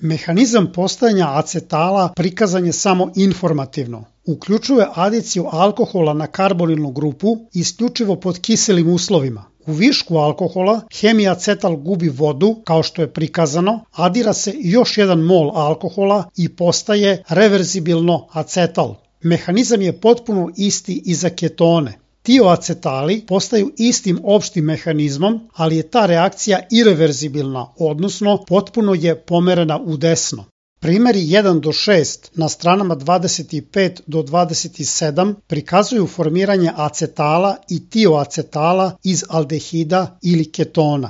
Mehanizam postojanja acetala prikazan je samo informativno. Uključuje adiciju alkohola na karbonilnu grupu isključivo pod kiselim uslovima. U višku alkohola hemiacetal gubi vodu, kao što je prikazano, adira se još jedan mol alkohola i postaje reverzibilno acetal. Mehanizam je potpuno isti i za ketone. Tioacetali postaju istim opštim mehanizmom, ali je ta reakcija ireverzibilna, odnosno potpuno je pomerena u desno. Primeri 1 do 6 na stranama 25 do 27 prikazuju formiranje acetala i tioacetala iz aldehida ili ketona.